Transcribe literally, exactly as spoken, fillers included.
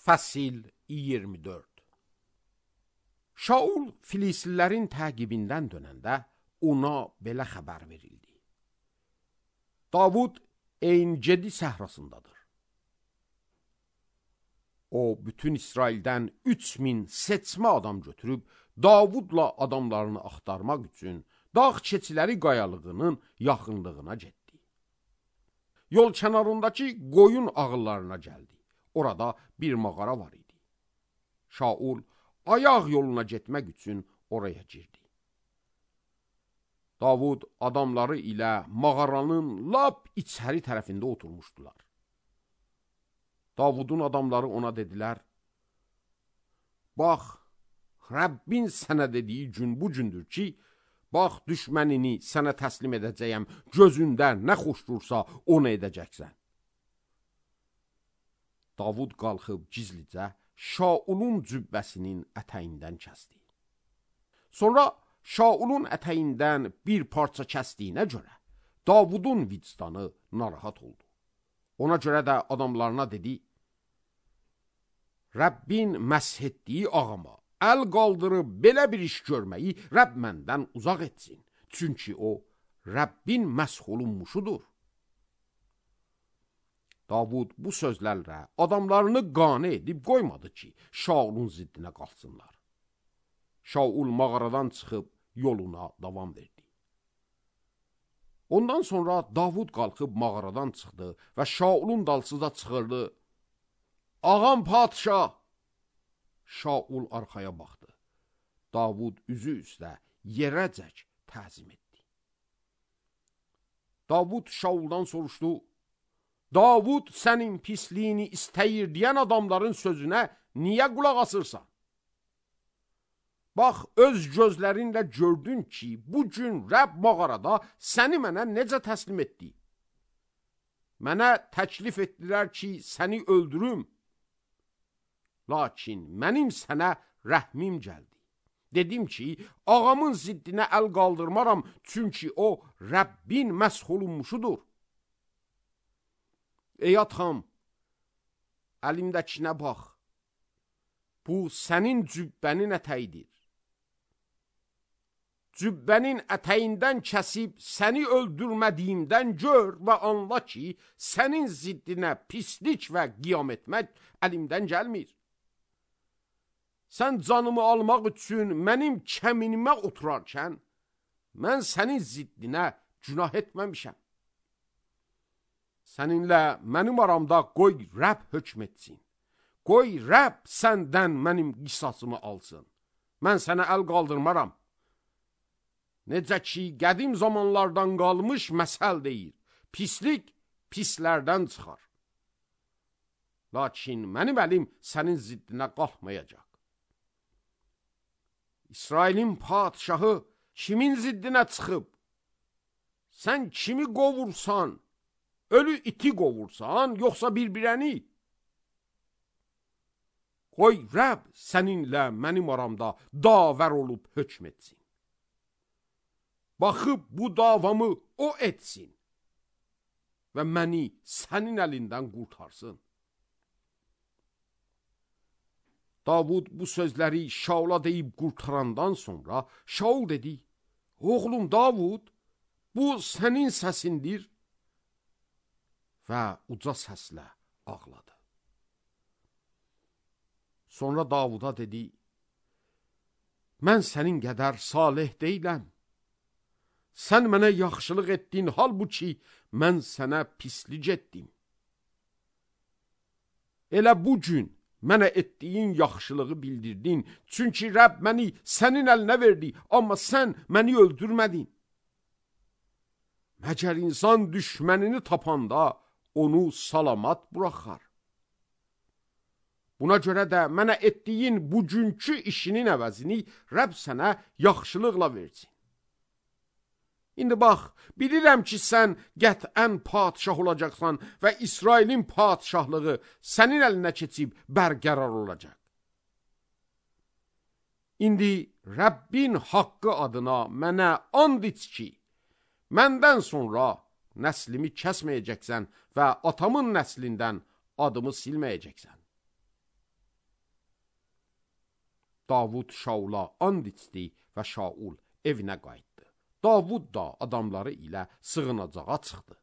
Fəsil iyirmi dörd. Şaul Filislilərin təqibindən dönəndə ona belə xəbər verildi. Davud Ein-Gedi səhrasındadır. O, bütün İsraildən üç min seçmə adam götürüb, Davudla adamlarını axtarmaq üçün dağ keçiləri qayalığının yaxınlığına getdi. Yol kənarındakı qoyun ağıllarına gəldi. Orada bir mağara var idi. Şaul ayaq yoluna getmək üçün oraya girdi. Davud adamları ilə mağaranın lap içəri tərəfində oturmuşdular. Davudun adamları ona dedilər, bax, Rəbbin sənə dediyi gün bu gündür ki, bax, düşmənini sənə təslim edəcəyəm, gözündə nə xoş dursa onu edəcəksən. Davud qalxıb gizlicə Şaulun cübbəsinin ətəyindən kəsdi. Sonra Şaulun ətəyindən bir parça kəsdiyinə görə Davudun vicdanı narahat oldu. Ona görə də adamlarına dedi, Rəbbin məsh etdiyi ağama əl qaldırıb belə bir iş görməyi Rəbb məndən uzaq etsin. Çünki o, Rəbbin məsh olunmuşudur. Davud bu sözlərlə adamlarını qane edib qoymadı ki, Şaulun ziddinə qalsınlar. Şaul mağaradan çıxıb yoluna davam verdi. Ondan sonra Davud qalxıb mağaradan çıxdı və Şaulun dalsıza çıxırdı. Ağam padişah! Şaul arxaya baxdı. Davud üzü üstə yerəcək təzim etdi. Davud Şauldan soruşdu, Davud sənin pisliyini istəyir deyən adamların sözünə niyə qulaq asırsan? Bax, öz gözlərinlə gördün ki, bu gün Rəbb mağarada səni mənə necə təslim etdi? Mənə təklif etdilər ki, səni öldürüm. Lakin mənim sənə rəhmim gəldi. Dedim ki, ağamın ziddinə əl qaldırmaram, çünki o, Rəbbin məsh olunmuşudur. Ey atam, əlimdəkinə bax, bu sənin cübbənin ətəyidir. Cübbənin ətəyindən kəsib səni öldürmədiyimdən gör və anla ki, sənin ziddinə pislik və qiyam etmək əlimdən gəlmir. Sən canımı almaq üçün mənim kəminimə oturarkən, mən sənin ziddinə günah etməmişəm. Səninlə mənim aramda qoy Rəbb hökm etsin. Qoy Rəbb səndən mənim qisasımı alsın. Mən sənə əl qaldırmaram. Necə ki, qədim zamanlardan qalmış məsəl deyir. Pislik pislərdən çıxar. Lakin mənim əlim sənin ziddinə qalxmayacaq. İsrailin padişahı kimin ziddinə çıxıb? Sən kimi qovursan, ölü iti qovursan, yoxsa bir-birəni? Qoy Rəbb səninlə mənim aramda davər olub hökm etsin. Baxıb bu davamı o etsin və məni sənin əlindən qurtarsın. Davud bu sözləri Şaula deyib qurtarandan sonra Şaul dedi, oğlum Davud, bu sənin səsindir və uca səslə ağladı. Sonra Davuda dedi, mən sənin qədər salih deyiləm. Sən mənə yaxşılıq etdin, halbuki mən sənə pislik etdim. Elə bu gün mənə etdiyin yaxşılığı bildirdin, çünki Rəbb məni sənin əlinə verdi, amma sən məni öldürmədin. Məgər insan düşmənini tapanda onu salamat buraxar. Buna görə də mənə etdiyin bugünkü işinin əvəzini Rəbb sənə yaxşılıqla versin. İndi bax, bilirəm ki, sən qətən padişah olacaqsan və İsrailin padişahlığı sənin əlinə keçib bərqərar olacaq. İndi Rəbbin haqqı adına mənə and iç ki, məndən sonra nəslimi kəsməyəcəksən və atamın nəslindən adımı silməyəcəksən. Davud Şaula and içdi və Şaul evinə qayıtdı. Davud da adamları ilə sığınacağa çıxdı.